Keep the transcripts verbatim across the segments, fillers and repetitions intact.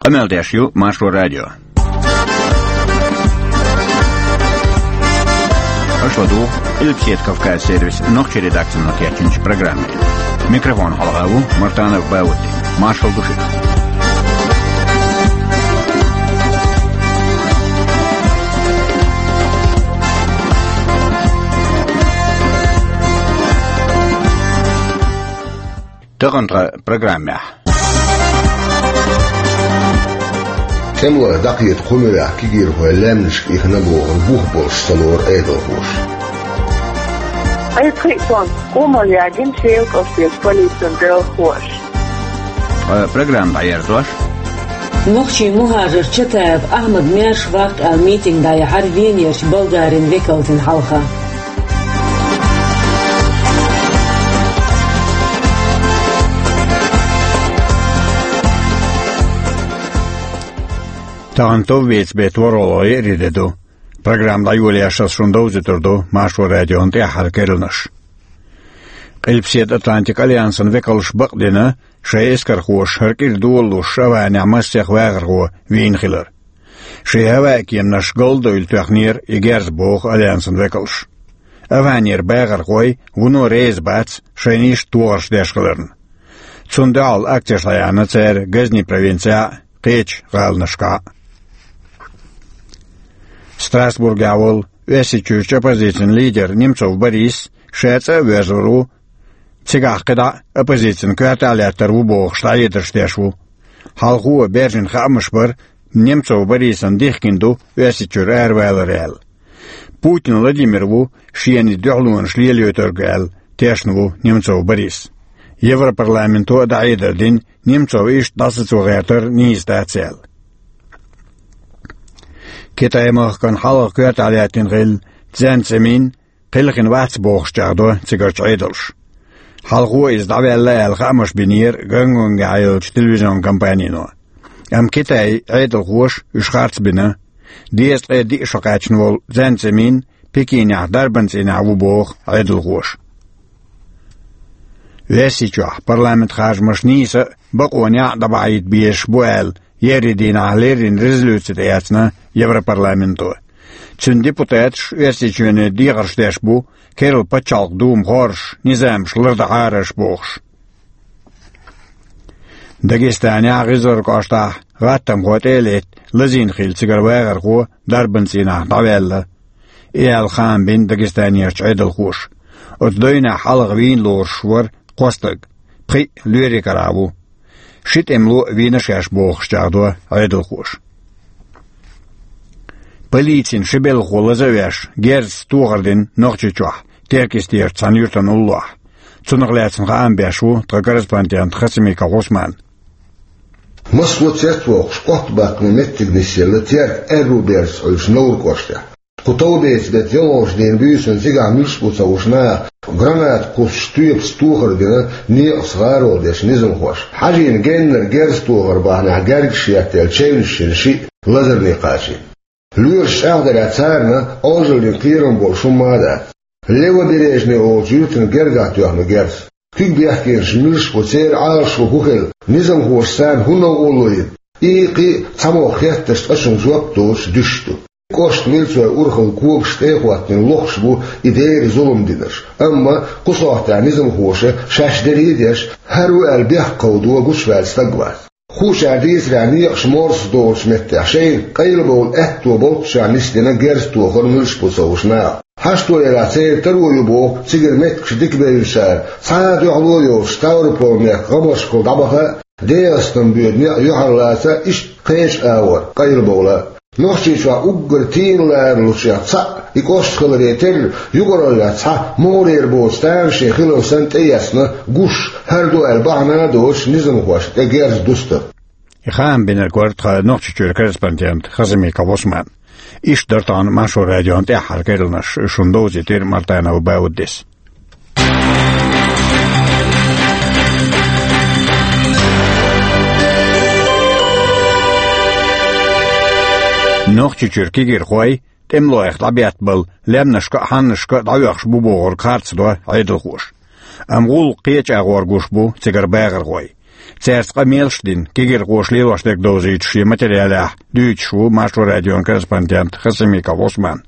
Къамел деш ю Маршо радио. Аша ладугӀу Къилбаседа Кавказ сервисан нохчийн редакцино кечйинчу программе. Микрофона хьалха ву Мартанов Баудди. Маршалла ду шуьга. Тахана тхан программехь. ТӀемалойх дӀакхета кху муьрехь кегийрхой лаьмнашка ихна бохург бух болуш ца лору Ӏедалхоша. Айхьа кхин а тӀом къомалла яьгна Шелан кӀоштарчу полицин белхалоша. Ткъа программа дӀаерзош. Нохчийн мухӀажар Чатаев Ахьмад маьрша ваккха аьлла митинг дӀаяьхьира Венерчу Болгарин векалтина хьалха. Тахана товвеца беттан ворхӀалгӀа еарин де ду. Программа дӀайолош ас шуна довзуьйтур ду Маршо радион тӀаьххьара керланаш. Къилбаседа Атлантикан альянсан векалша бакъдина, шайн эскархоша хӀара кӀира долалуш АвгӀанехь массех вахархо вийна хилар. Шайн хӀаваан кеманаш галдойла тоьхнера и герз, боху альянсан векалша. АвгӀанера бахархой вуно реза бац шайна иштта тохарш деш хиларна. Цунна дуьхьал акцеш дӀаяьхьна цара Газни провинцехь а, кхечу гӀаланашкахь а. Страсбургехь волу Оьрсийчуьрчу оппозицин лидер Немцов Борис ша цӀа а воьрзур ву, цигахь кхидӀа а оппозицин коьртехь лаьттар ву бохуш дӀахьедарш деш ву. Хьалхо баьржина хаамаш бара, Немцов Борисан дихкина ду Оьрсийчуьра аравалар аьлла. Путин Владимир ву шена и дуьхьалонаш лелайойтург аьлла, тешна ву Немцов Борис. Европарламенто а дӀахьедар дина, Немцов иштта дӀасацо гӀертар нийса дац аьлла. Китай-махкана хьалха коьртехь лаьттина хилла Цзян Цзимин кхелхина вац бохуш чӀагӀдо цигарчу Ӏедалша. Хьалхо иза дӀаваьлла аьлла хаамаш бинера Гонконгехь йолчу телевизион компанино. Амма Китайн Ӏедалхоша уьш харц бина. Дезткъе диъ шо кхаьчна волу Цзян Цзимин Пекинехь дарбан цӀийнехь ву боху Ӏедалхоша. Оьрсийчохь парламентан харжамаш нийса а, бакъонехь а дӀабахьийта безаш бу аьлла, еарин дийнахь леррина резолюци тӀеэцна Европарламенто. Цуьнан депутаташ Оьрсийчоьне дехарш деш бу, керла пачхьалкхан дума хоржуш, низамаш лардахьара аша бохуш. Дагестанехь ГӀизар кӀоштахь гӀаттамхой тӀе а летта, лазийна хилла цигара вахархо дарбан цӀийнахь дӀаваьлла. И аьлла хаам бина Дагестанерчу Ӏедалхоша. Оцу дойнехь хьалха вийна лоруш вара кхо стаг, пхиъ лоьрийн карахь ву. Ши тӀемало а вийна шаьш бохуш чӀагӀдо Ӏедалхоша. Полицин ши белхахо лаза а веш, герзаца тохар дина Нохчийчохь, Теркйистерчу цхьана юьртана уллохь. Цунах лаьцна хаам беш ву тхан корреспондент Хасимиков Усман. Массо а цецвоккхуш, оттабаккхаме меттиг нисъелла Теркан аьрру берзаца Ӏуьллучу Новр кӀоштехь. Кху товбеца беттан ялхолгӀачу дийнан буьйсанна цигахь муьлш бу ца хууш наха граната кхуссуш тоьпаца тохар дина некъаца гӀаролла дечу низамхоша. Хьажийна геннара герз тохар бахьанехь гергаш еттаелла чевнаш йина шиъ лазарне кхачийна. Лоьраш чӀагӀдарехь, царна Ӏожаллин кхерам болуш хӀумма а дац. Левобережный олучу юьртана гергахь тоьхна герз. Куьг бехкенаш муьлш бу, церан Ӏалашо хӀун хилла, низамхоша царна хӀун новкъарло йина? И кхин а цхьамогӀа хеттарш цкъачунна жоп доцуш дуьсуш ду. КӀоштан милцойн урхалла когаш тӀе а хӀоттийна лохуш бу и дера зулам динарш. Амма кху сохьтехь низамхоша шаьш дерриг а деш, хӀара ву аьлла бехк кховдо гучуваьлла стаг вац. Хуучара дийцарехь, некъаш морса долучу меттехь шайна къайлабовла аьтто болччохь нисдина герз тохар муьлш бу ца хууш наха. Хьашто ярахь, церан таро ю боху цигара меттигаш дика бевллачара, цхьа а дуьхьало а йоцуш, Ставрополь-мехкан гӀамашкахула дӀабаха а, ДегӀастан боьду некъ юьхьарлаца а, иштта кхечу агӀор къайлабовла а. Нохчийчохь уггар тийна ларалучех цхьаъ и кӀошт хиларе терра, юкъараллехь цхьа могӀарера боцу тамашийна хилар санна тӀеэцна гуш, хӀара ду аьлла бахьана а доцуш низамхошна тӀе герз дустар. И хаам бинарг вара тхан Нохчийчуьра корреспондент Хасимиков Усман. Иштта дара тахана Маршо радион тӀаьххьара керланаш, шуна довзийтира Мартанов Бауддис. Нохчийчуьра кегийрхой тӀемалойх дӀабеттабала лаьмнашка а, хьаннашка а дӀаоьхуш бу бохург харцдо Ӏедалхоша. Амма гӀуллакх кхечу агӀор гуш бу цигара бахархой. Цаьрца къамелаш а дина, кегирхоша лелош дерг довзуьйтуш шен материалехь дуьйцуш ву Маршо радион корреспондент Хасимиков Ӏусман.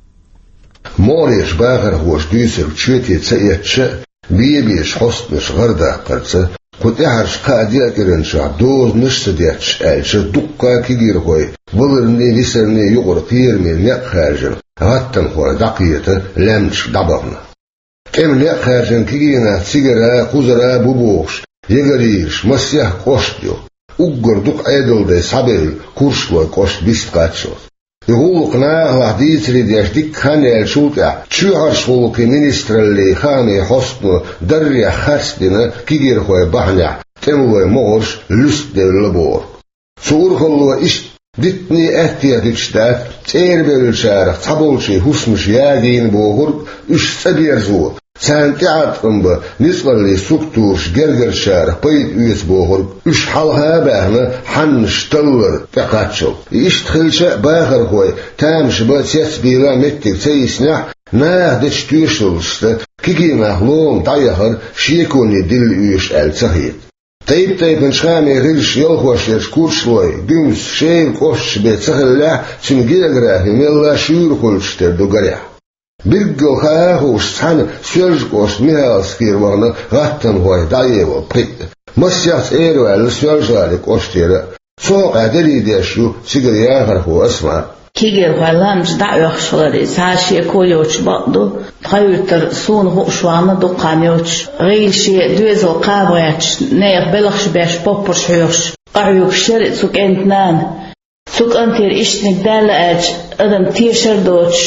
Могӏарерчу бахархоша дуьйцург чоьте ца эцча а, бен-бен хьостанаш гӏардаккхарца, кху тӏаьхьарчу кхаа-деа кӏиранчохь дозанаш а ца детташ аьлча, дуккха а кегирхой валарний, нисарний юкъара кхераме некъ хаьржина, гӏаттамхой дӏакхета, лаьмнашка дӏабахана. ТӀеман некъ хаьржина кегий нах цигара, кхузара бу бохуш, ягарийраш масех кӀошт ю. Уггар дукха Ӏедалдай схьабевлла Курчалойн кӀошт бист кхаччалц. И гӀуллакх нахалахь дийцаре деш дикка хан яьллачул тӀаьхьа, чоьхьарчу гӀуллакхийн министраллин хаамийн хьостано даррех харцдина кегирхойн бахьанехь тӀемалойн могӀарш луьстадевлла бохург. Цу урхалло иштта диттане а аьттехьадуьтуш дац, цӀерабевллачарах цхьаболчийн хӀусамаш ягийна бохург, уьш цӀа берзо, царна тӀеӀаткъам бан ницкъаллин структураш гергарчарах пайда оьцу бохург, уьш хьалха а баьхна, хьаннаш таллар тӀекхаччалц. И иштта хилча а, бахархой тамаш бан, цецбийла меттиг ца йиснехь, наха дечу тоьшаллашца кегий нах лома дӀаяхар шеконе дилла оьшу аьлла ца хета. Тайп-тайпанчу хаамийн гӀирсаша ялхош ерш Курчалой, Гуьмса, Шера кӀошташ бен ца хиллехь а, цуьнан географи мелла а шуьйра хуьлуш тера ду гарехь. Билггал хаа а хууш, цхьана Соьлжа-кӀоштан Михайловскера вахана гӀаттамхой дӀаевалла пхиъ а. Масех цӀера ваьлла Соьлжа-ГӀалин кӀоштера а. Цу хьокъехь дарий деш ю цигара яхархо Асма. Кегирхой лаьмнаш дӀа а оьхуш хилар, иза цхьа а шеко йоцуш бакъ ду. Тхан юьртара суна хууш вахана дукха хан йоцуш, гӀийла шен доьзал кхаба гӀерташ, нехан белхаш беш, поппарш хьоьхуш, къахьоьгуш яра цу кӀентан нана. Цу кӀантера иштаниг даьлла аьлча, адам тешар а доцуш,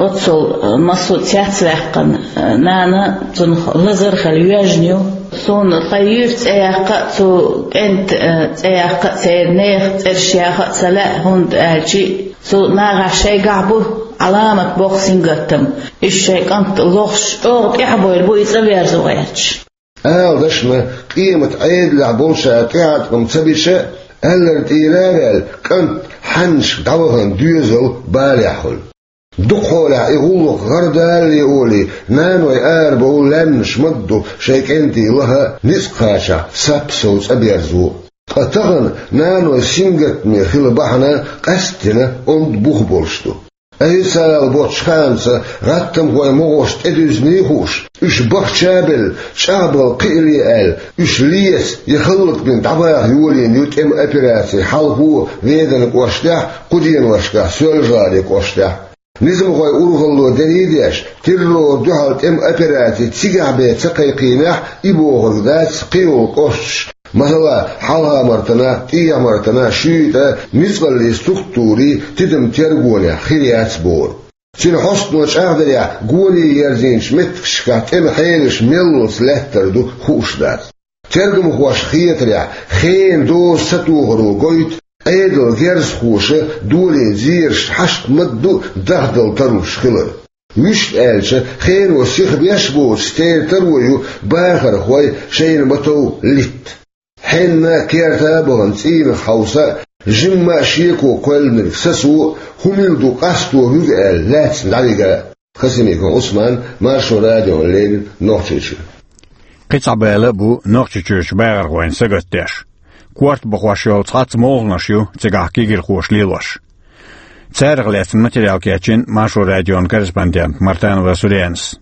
оццул массо а цецваьккхина, нана цунах лазар а хилла йоьжна ю. Суна тхан йоьрта цӀе яккха а, цу кӀентан цӀе яккха а, церан нехан цӀераш яха а ца лаьа, хӀунда аьлча цу нахахь шайгахь бу Ӏаламат боккха сингаттам. Уьш шайн кӀант лохуш, чӀогӀа тӀаьхьабевлла бу и цӀа верзо гӀерташ. Ала дашна, къематан Ӏедалехь болчара тӀеӀаткъам ца бича а, аьлларг тӀера а ваьлла, кӀант хьаннашка дӀавахана доьзал балехь хуьлу. Дукхахьолехь и гӀуллакх гӀардалале олий, наной арабовла лаьмнаш ма-дду шайн кӀентий лаха а, ницкъ кхачахь сап а сов цӀа берзо а. Ткъа тахана наной сингаттаме хила бахьана къаьсттина онда бух болуш ду. Официалан боцчу хаамца, гӀаттамхойн могӀарш тӀедуьзний хууш, уьш бахча а белла, чӀагӀбала кхиале аьлла, уьш леца я хӀаллакбина дӀабаха йолийна ю тӀеман операци хьалхо Веданан кӀоштехь а, кху деношкахь Соьлжа-ГӀалин кӀоштехь а. Низамхойн урхалло дарий деш, террорна дуьхьал тӀеман операци цигахь бен ца кхайкхийнехь а, и бохург дац кхин йолу кӀошташ, масала, Хьалха-Мартана, ТӀехьа-Мартана, Шуьйта, ницкъаллин структурийн тидам-тергонехь хир яц бохург. Цуьнан хьостано чӀагӀдарехь, гоне ерзийначу меттигашкахь тӀеман хьелаш меллалц лаьттар ду хууш дац. Тергамхошна хетарехь, хенан доза сатохаро гойту, Ӏедалан герзахоша долийна зераш хьашт ма-дду дахдала таруш хилар. Вуьшта аьлча, хено сиха беш а боцуш, церан таро ю бахархой шайна ма-тов литта. Хьенна а, керта а бахана цӀийнах хьовса а, жимма а шеко кхоьллинарг сацо а, хӀун мила ду къасто хӀуьга аьлла, лаьцна дӀавига а. Хасимиков Ӏусман, Маршо радиона леррина, Нохчийчуьра. Кхин цхьа бала а бу Нохчийчуьрчу бахархойн сагатдеш. Корта бахош йолу цхьацца молханаш ю цигахь кегирхоша лелош. Царах лаьцна материал кечйина Маршо радион корреспондента Мартанова Суренас.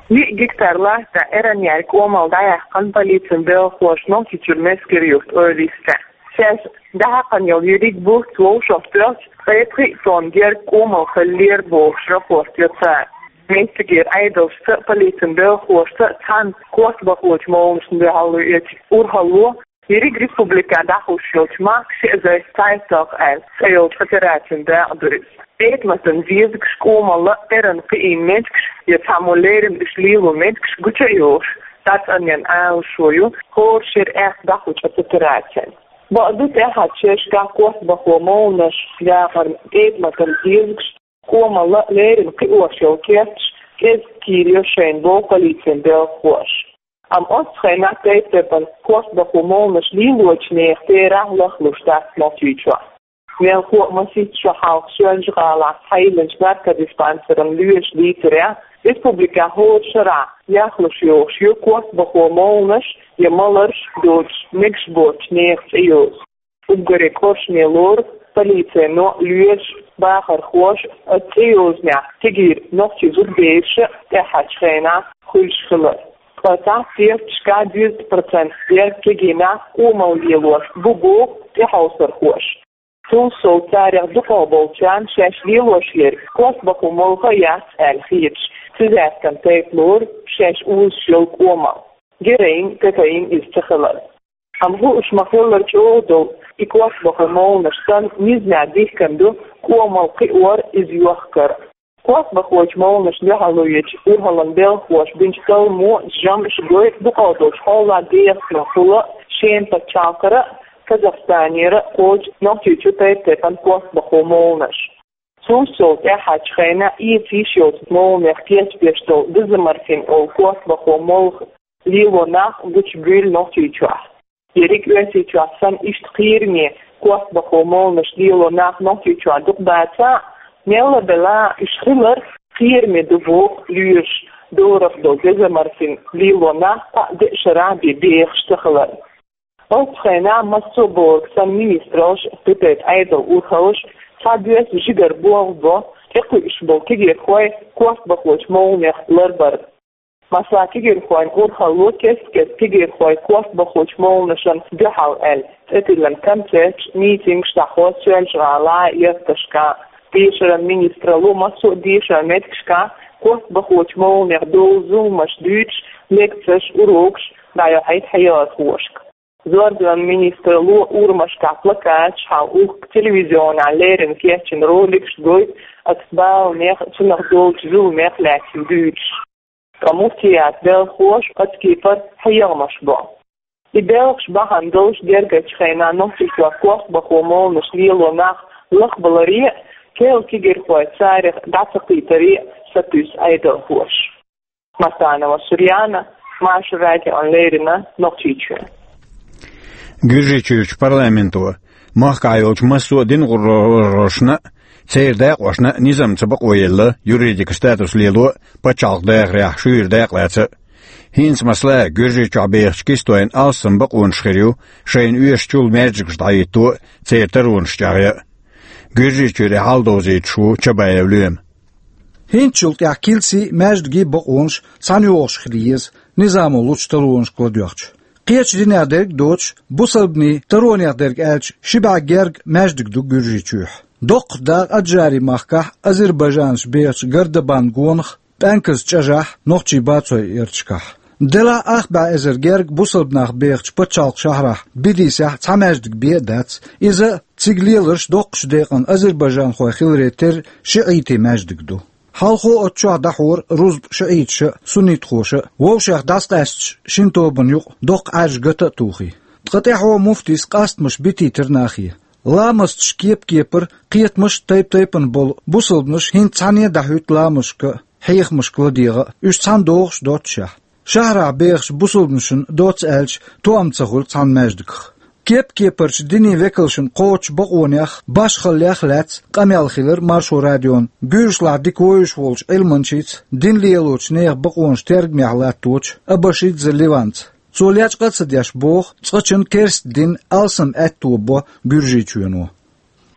Виъ гектар лаьтта тӀехь эрна яьлла кӀомал дӀаяьккхина полицин белхахоша Нохчийчуьра Мескер-юрт-Ойла йистехь. Шаьш дӀахьаькхна йолу ерриг бутт вовшахтоьхча, ткъе пхиъ тонна герга кӀомал хиллера бохуш рапорт йо цара. Меттигера Ӏедалшца а, полицин белхахошца а цхьаьна корта бахочу молханашна дуьхьал йоьду урхалло, ерриг республикехь дӀахьош йолчу «Махка шиъ зайс цхьайтталгӀа» аьлла цӀе йолчу операцина дакъа ду иза. Этаматан дезагаш, кӀомалла а эрна кхиийна меттигаш я цхьаммо леррина уьш лело меттигаш гучу а йохуш, дӀацӀанъян Ӏалашо ю хӀора шеран аьхка дӀахьочу операцина. Бакъду, тӀаьххьарчу шерашкахь корта бахо молханаш, яхарна, этаматан дезагаш, кӀомалла а леррина кхиош йолу керташ кӀезиг кийрайо шайна боху полицин белхахоша. Амма оццу хенахь тайп-тайпана корта бахо молханаш лелочу нехан терахь лахлуш дац Нохчийчохь. Мелхо а, масийтта шо хьалха Соьлжа-ГӀалахь схьайиллинчу наркодиспансеран лоьша дийцарехь, Республикехь хӀора шарахь яхлуш йогӀуш ю корта бахо молланаш я маларш доцуш мегаш боцучу нехан цӀе йоза. Уггаре кӀоршаме лору полицейно лоьраш, бахархоша оцу цӀе йозанехь кегийра нохчийн зудабераш а тӀаьххьарчу хенахь хуьлуш хилар. Ткъа цхьацца кехаташкахь дезткъа процент дерг кегий нах къомалла лелош бу боху тӀехьовсархоша. Цул сов царех дукхахболчарна шаьш лелош ерг корта бахо молха а яц аьлла хеташ, цизаьркан тайпа лору шаьш узуш йолу къомалла, героин, кокаин иза ца хилар. Амма хууш ма-хиллара чӀогӀа долу и корта бахо молланаш санна, низамехь дихкина ду къомалла кхиор, иза йохкар. Корта бахочу молланашна дуьхьал ечу урхаллин белхахоша бинчу талламо, жамӀаша гойту дукхах долчу хьолан дехархула Шеман пачхьалкхера а, Казахстанера а кхочу Нохчийчу тайп-тайпана корта бахо молланаш. Цул сов тӀаьххьарчу хенахь эца йиш йолчу молланех кечбеш долу дезоморфин олу корта бахо молха лело нах гучубуьйлу Нохчийчохь. Ерриг Оьрсийчохь санна иштта кхераме корта бахо молланаш лело нах Нохчийчохь дукха бацахь а, мелла а белахь а уьш хилар кхераме ду боху лоьраша, дорах долу дезоморфин лело нах кхаа-деа шарахь бен бехаш ца хилар. Оццу хенахь массо а бохург санна министраллаш, кхин тайпа Ӏедалан урхаллаш цхьа доьзал жигара болх бо, тӀекхуьуш болу кегийрхой корта бахочу молланех ларбар. Масала, кегийрхойн урхалло кест-кеста кегийрхой корта бахочу молланашна дуьхьал аьлла, цӀе тиллина концерташ, митингаш дӀахьо Соьлжа-ГӀалахь а, ярташкахь а. Дешаран министралло массо а дешаран меттигашкахь корта бахочу молланех долу зуламаш дуьйцуш, лекцеш, урокаш дӀайохьуьйту хьаярхошка. Зорбанан министралло урамашкахь плакаташ, хьал ухка телевизионехь леррина кечйина роликаш гойту оцу баланех, цунах долчу зуламех лаьцна дуьйцуш. Ткъа муфтиятан белхахоша оцу кепара хьехамаш бо. И белхаш бахьана долуш гергарчу хенахь Нохчийчохь корта бахо молланаш лело нах лахбаларе а, керла кегийрхой царах дӀа ца кхийтаре а сатуьйсу Ӏедалхоша. Масанова Сурьяна, Маршо радиона леррина, Нохчийчоь. Гуьржийчуьрчу парламенто махкахь йолчу массо а динан гӀурхошна а, церан декъашна а низамца бакъо елла юридикан статус лело а, пачхьалкхан дахарехь шуьйра дакъа лаца а. ХӀинца, масала, Гуьржийчохь бехачу кистойн алссам бакъонаш хир ю шайна оьшучул маьждигаш дӀахӀитто а, церан таронаш чӀагӀъян а. Гуьржийчуьра и хьал довзуьйтуш ву Чабаев Лоьма. ХӀинцачул тӀаьхьа килсий, маьждигий бакъонаш цхьаьна йогӀуш хила еза, низамо лучу таронашка ладоьгӀча. Кхечу динех дерг а доцуш, бусалбанийн таронех дерг аьлча, ши бӀе гергга маьждиг ду Гуьржийчохь. Доккхачу дакъа Аджари-махкахь азербайджанцаш бехачу Гардабан гонах ПӀаьнказан чӀажахь, нохчийн бацойн ярташкахь. Делахь а ах бӀе эзар гергга бусалба нах бехачу пачхьалкхан шахьарахь Бедисехь цхьа маьждиг бен а дац, иза цига леларш доккхачу декъан азербайджанхой хиларе терра шиӀитийн маьждиг ду. Хьалхо оцу чохь дӀахьора рузба шиӀиташа а, суннитхоша а, вовшех дӀасакъаьсташ шина тобанна юкъа доккха Ӏаьржа гата а тухий. Ткъа тӀаьхьо муфтис къастамаш битийтира нахе. Ламасташ кеп-кепара, кхетамаш тайп-тайпана болу бусалбанаш хӀинца цхьаьна а дӀахӀуьтту ламазашка а, хьехамашка ладегӀа а, уьш цхьаьна догӀуш доццушехь. Шахьарахь бехачу бусалбанашна доцца аьлча, тоам ца хуьлу цхьана маьждигах. Кеп-кепарчу динийн векалшна кхочучу бакъонех, башхаллех а лаьцна къамел хилира Маршо радион гуьржашлахь дика вевзаш волчу Ӏилманчица, дин лелочу нехан бакъонаш тергамехь латточу Абашидзе Ливанца. Цо лечкъа а ца деш боху, цкъачунна керста дин алсам аьтто бо Гуьржийчоьно.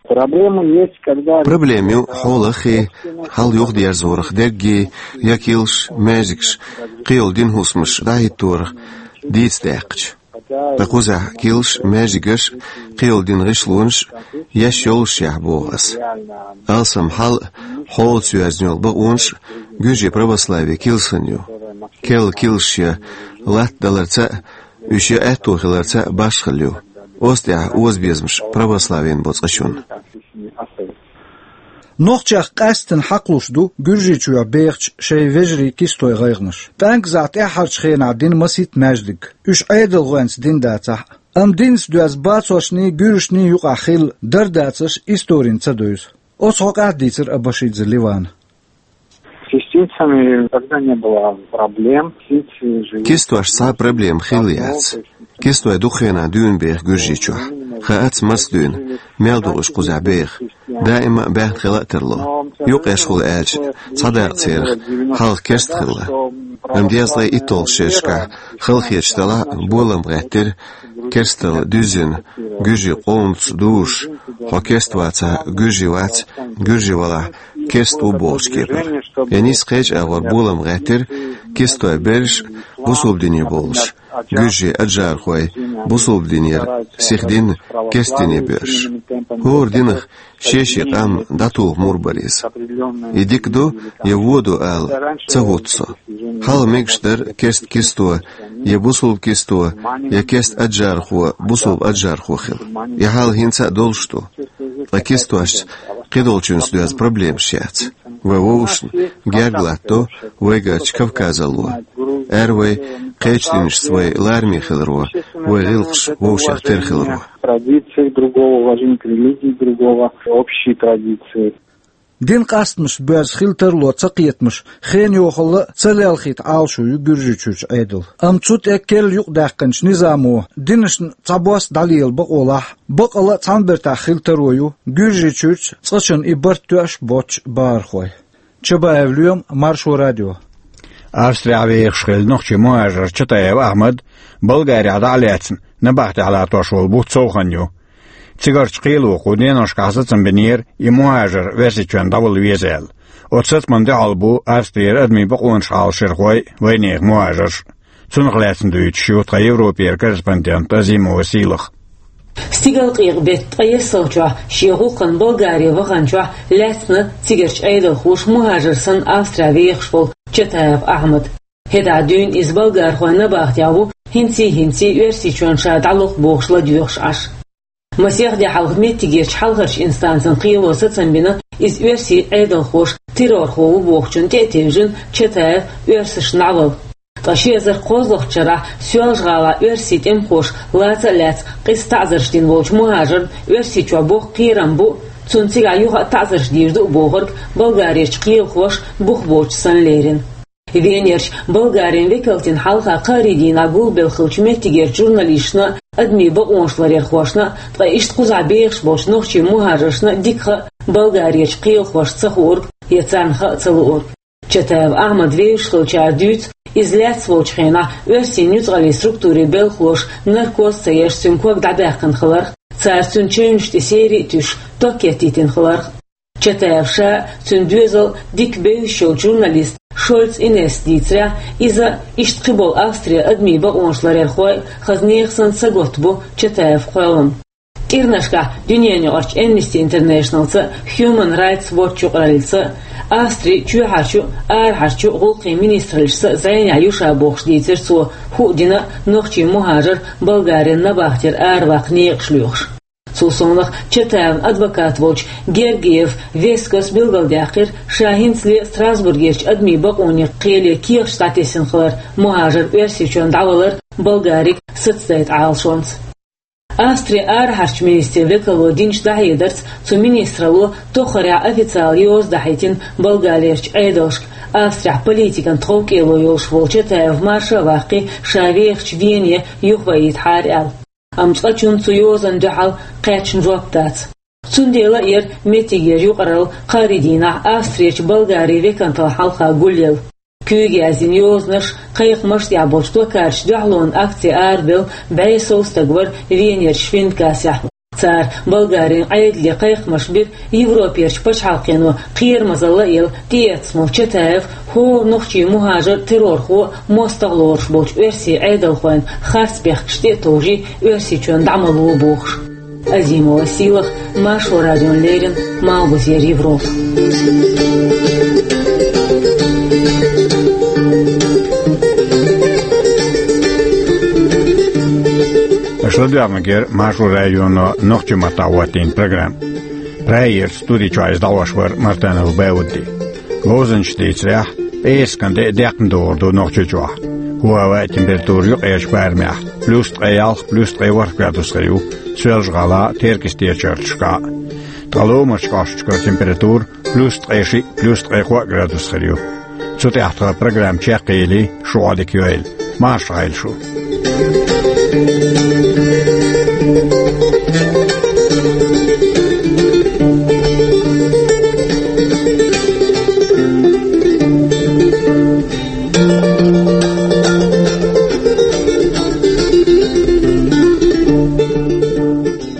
Проблема есть, когда... Проблема ю хьолаххий, хьал юхадерзорах дерригий, я килсаш, маьждигаш, кхийолу динан хӀусамаш дӀахӀитторах дийца даьккхича. Ткъа кхузахь килсаш, маьждигаш, кхийолу динан гӀишлонаш еш йолушшехь, боху ас. Алсам хьал а, хьолаца йоьзна йолу бакъонаш а гуьржийн православин килсанна ю. Керла килсаш я латта даларца а, уьш я аьтто хиларца а башхалла ю. Оцу тӀехь озабезамаш православина бо цкъачунна. Нохчех къаьсттина хьакхалуш ду Гуьржийчохь бехачу шайн вежарийн кистойн гӀайгӀанаш. ПӀаьнказахь тӀаьххьарчу хенахь дина масийтта маьждиг, уьш Ӏедалхойнца дина дацахь а. Амма динца доьзна бацошний, гуьржашний юкъахь хилла дардацарш историна ца девза. Оцу хьокъехь а дийцира Абашидзе Ливана. С кистицами никогда не было проблем. Кистицы живут... Кистошца цхьа а проблема хилла яц. Кистой дукха хенахь дуьйна беха Гуьржийчохь. Хаац, маца дуьйна, мел ду уьш кхузахь беха. даима а баьхна хила а тарло. Юкъеш хул аьлча, цхьа дакъа церах хьалха керста хилла. Амма дезткъе итталгӀачу шерашкахь халахеташ делахь а болам гӀеттира, керсталла дуьззина, гуьржийн къомаца дужуш, хьо керста вацахь, гуьржи вац, гуьржи валахь, керста ву бохучу кепара. Я нийса кхечу агӀор болам гӀеттира, кистой берш а бусулба дине бовлуш, гуьржийн аджархой бусулба динера сихдина, керста дине боьрзуш. ХӀора динах шен-шен къам дӀатуху мур бара иза. И дика ду я вон ду ала ца хӀутту со. Хьалха мегаш дара керста кисто, я бусулба кисто, я керста аджархо, бусулба аджархо хила. И хьал хӀинца а долуш ду. Ткъа кистошца кхидолчуьнца доьзна проблемаш яц. Вай вовшашна герга латтадо вайгарчу Кавказалло. Ара вай кхечу динашца вай лараме хиларо, вай гӀиллакхаш вовшех тера хиларо. Традиции другого, уважение к религии другого, общие традиции. Дин къастамашца боьрзу хила тарло ца кхетамаш, хенан йохалла а ца лелхийта Ӏалашо ю Гуьржийчуьрчу Ӏедало. Амма цу тӀе керла юкъадаьккхинчу низамо динашна цхьабосса дӀалела бакъолахь, бакъалла а цхьана бертахь хила таро ю Гуьржийчуьрчу цкъачунна и барт тоьаш боцчу бахархой. Чабаев Лоьма, Маршо радио. Австрехь вехаш хилла нохчийн мухӀажар Чатаев Ахьмад Болгарехь дӀа а лаьцна, набахтехь латош волу бутт совханна ю. Цигарчу кхело кху деношкахь сацам бинера и мухӀажар Оьрсийчоьнна дӀавала веза аьлла. Оцу сацамна дуьхьал бу Австрера адамийн бакъонаш хьалхашхой а, вайнехан мухӀажарш а. Цунах лаьцна дуьйцуш ю тхан Европера корреспондент Азимова Сийлаха. Стигалкъекъа беттан ткъаессалгӀачохь шен гӀуллакхана Болгаре ваханчохь лаьцна цигарчу Ӏедалхоша мухӀажар санна Австрехь вехаш волу Чатаев Ахьмад. ХӀетахь дуьйна иза болгархойн набахтехь ву, хӀинций-хӀинций Оьрсийчоьнна ша дӀалур ду бохуш ладоьгӀуш Ӏаш. Масех де хьалха меттигерчу хьалхарчу инстанцан кхело сацам бина, иза оьрсийн Ӏедалхоша террорхо ву бохучунна тӀе а тевжина, Чатаев оьрсашна дӀавала. Ткъа ши эзар кхозлагӀчу шарахь Соьлжа-ГӀалахь оьрсийн тӀемахоша лаца а лаьцна къиза таӀзарш дина волчу мухӀажарна Оьрсийчохь боккха кхерам бу, цунна цигахь юха а таӀзарш дийр ду а бохург болгарерчу кхелахоша бух боцуш санна лерина. Венерчу Болгарин векалтина хьалха кхаарин дийнахь гулбелла хиллачу меттигерчу журналисташна а, адамийн бакъонаш ларъярхошна а, ткъа иштта кхузахь бехаш болчу нохчийн мухӀажаршна а дика хаьа болгарерчу кхелахошна ца хуург я царна хаа ца луург. Чатаев Ахьмад вевзаш хиллачара дуьйцу, иза лаьцна волчу хенахь оьрсийн нуьцкъаллийн структурийн белхалоша наркоз ца еш цуьнан ког дӀабаьккхина хиларх, цара цуьнан чевнаш тӀе сери а туьйсуш, ток кеттийтина хиларх. Чатаев ша а, цуьнан доьзал а дика бевзаш йолчу журналиста Шольц Инесса дийцарехь, иза а, иштта кхиболу Австрин адамийн бакъонаш ларъярхой а хаза нехан санна сагатта бу Чатаевн кхоьллам. КӀирнашкахь дуьненаюкъарчу Amnesty International-ца а, Human Rights Watch юкъараллица а, Австрин чоьхьарчу а, арахьарчу а гӀуллакхийн министраллашца а зӀенехь ю ша бохуш дийцира цо, хӀуъа дина а нохчийн мухӀажар Болгарин набахтера араваккха некъаш лоьхуш. Цул совнаха Чатаевн адвокат волчу Гергиев Вескос билгалдаьккхира, ша хӀинцале а Страсбургерчу адамийн бакъонийн кхеле кехаташ дӀатесна хилар мухӀажар Оьрсийчоьнна дӀавалар Болгарига сацадайта Ӏалашонца. Австрин арахьарчу министран векало динчу дӀахьедарца цу министралло тоххарехь официалан йоза дахьийтина Болгарерчу Ӏедалшка, Австрехь политикан тховкӀело йолуш волу Чатаев марша а ваккхий, ша вехачу Вене юхаваийтахьара аьлла. Амма цкъачунна цу йозанна дуьхьал кхаьчна жоп дац. Цундела а яра меттигера юкъаралла кхаарин дийнахь Австрерчу Болгарин векантал хьалха гулъелла. Куьйга яздина йозанаш, кхайкхамаш тӀехь болчу плакаташца дуьхьалонан акци арабевлла бӀе сов стаг вара Венерчу Швиндгассехь. Цара Болгарин Ӏедале кхайкхамаш бира Европерчу пачхьалкхено кхерамазалла а елла тӀеэцна волу Чатаев хӀора нохчийн мухӀажар, террорхо а, мостагӀа лоруш болчу оьрсийн Ӏедалхойн харц бехкаш тӀе а товжий, Оьрсийчоьнна дӀа ма ло бохуш. Азимова Сийлаха, Маршо радиона леррина, Малхбузера Европа. Аша ладоьгӀнарг яра Маршо радионо нохчийн маттахь хӀоттийна программа. Прагерчу студи чохь иза дӀахьош вара Мартанов Баудди. Говзанчаша дийцарехь, пӀераскан тӀе а декхна догӀур ду Нохчийчохь. ХӀаваан температура юккъерчу барамехь плюс ткъе ялх, плюс ткъе ворхӀ градус хир ю Соьлжа-ГӀалахь а, Теркйистера чарташкахь а. Ткъа ломарчу кӀошташкара температура плюс ткъе шиъ, плюс ткъе кхоъ градус хир ю. Цу тӀехь тхан программа чекхъели, шу Ӏодика йойла. Марша Ӏойла шу.